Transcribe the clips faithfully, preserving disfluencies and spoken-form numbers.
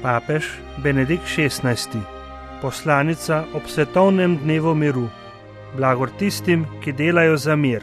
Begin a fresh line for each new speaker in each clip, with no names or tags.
Papež Benedikt šestnajsti. Poslanica ob svetovnem dnevu miru. Blagor tistim, ki delajo za mir.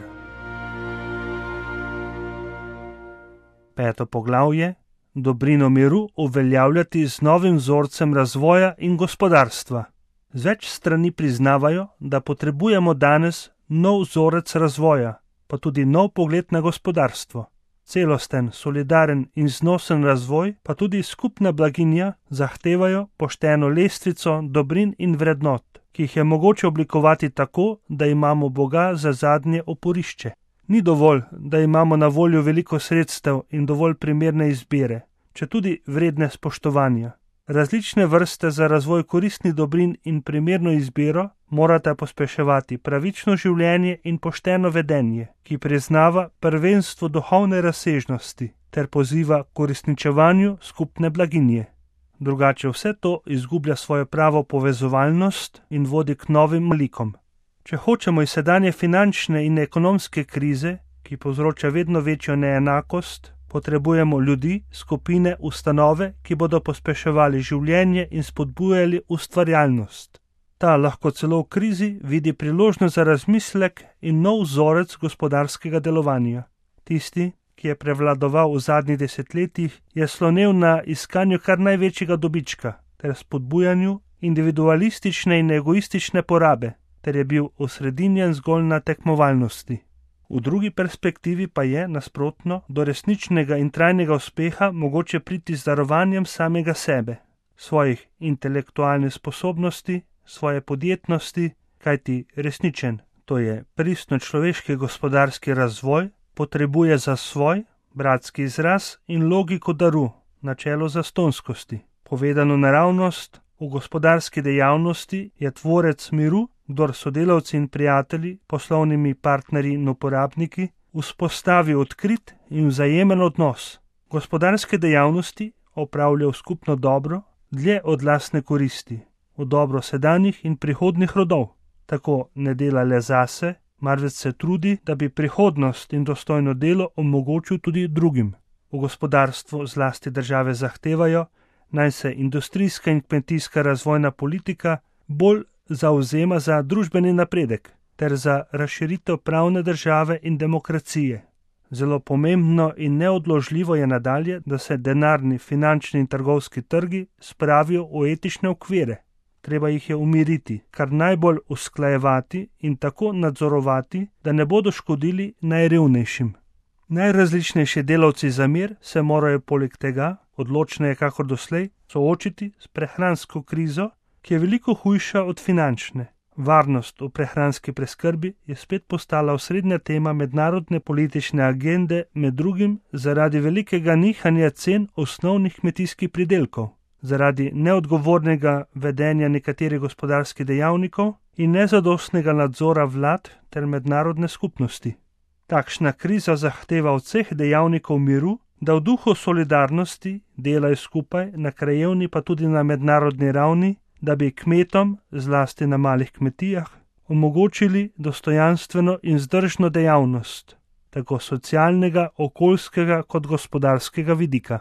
Peto poglavje. Dobrino miru uveljavljati z novim vzorcem razvoja in gospodarstva. Z več strani priznavajo, da potrebujemo danes nov vzorec razvoja, pa tudi nov pogled na gospodarstvo. Celosten, solidaren in znosen razvoj, pa tudi skupna blaginja zahtevajo pošteno lestvico dobrin in vrednot, ki jih je mogoče oblikovati tako, da imamo Boga za zadnje oporišče. Ni dovolj, da imamo na voljo veliko sredstev in dovolj primerne izbire, četudi vredne spoštovanja. Različne vrste za razvoj koristnih dobrin in primerno izbiro morata pospeševati pravično življenje in pošteno vedenje, ki priznava prvenstvo duhovne razsežnosti ter poziva k uresničevanju skupne blaginje. Drugače vse to izgublja svojo pravo povezovalnost in vodi k novim likom. Če hočemo iz sedanje finančne in ekonomske krize, ki povzroča vedno večjo neenakost, potrebujemo ljudi, skupine, ustanove, ki bodo pospeševali življenje in spodbujali ustvarjalnost. Ta lahko celo v krizi vidi priložnost za razmislek in nov vzorec gospodarskega delovanja. Tisti, ki je prevladoval v zadnjih desetletjih, je slonel na iskanju kar največjega dobička ter spodbujanju individualistične in egoistične porabe, ter je bil osredinjen zgolj na tekmovalnosti. V drugi perspektivi pa je, nasprotno, do resničnega in trajnega uspeha mogoče priti z darovanjem samega sebe, svojih intelektualnih sposobnosti, svoje podjetnosti, kajti resničen, to je pristno človeški gospodarski razvoj, potrebuje za svoj bratski izraz in logiko daru, načelo zastonskosti. Povedano naravnost, v gospodarski dejavnosti je tvorec miru, kdor sodelavci in prijatelji, poslovnimi partnerji in uporabniki, vzpostavi odkrit in vzajemen odnos. Gospodarske dejavnosti opravlja v skupno dobro, dlje od lastne koristi, v dobro sedanjih in prihodnih rodov. Tako ne dela le zase, marveč se trudi, da bi prihodnost in dostojno delo omogočil tudi drugim. V gospodarstvu zlasti države zahtevajo, naj se industrijska in kmetijska razvojna politika bolj zavzema za družbeni napredek ter za razširitev pravne države in demokracije. Zelo pomembno in neodložljivo je nadalje, da se denarni, finančni in trgovski trgi spravijo v etične okvire. Treba jih je umiriti, kar najbolj usklajevati in tako nadzorovati, da ne bodo škodili najrevnejšim. Najrazličnejši delavci za mir se morajo poleg tega, odločneje kakor doslej, soočiti s prehransko krizo, ki je veliko hujša od finančne. Varnost v prehranski preskrbi je spet postala osrednja tema mednarodne politične agende, med drugim zaradi velikega nihanja cen osnovnih kmetijskih pridelkov, zaradi neodgovornega vedenja nekaterih gospodarskih dejavnikov in nezadostnega nadzora vlad ter mednarodne skupnosti. Takšna kriza zahteva od vseh dejavnikov miru, da v duhu solidarnosti delajo skupaj na krajevni pa tudi na mednarodni ravni, da bi kmetom, zlasti na malih kmetijah, omogočili dostojanstveno in vzdržno dejavnost, tako socialnega, okoljskega kot gospodarskega vidika.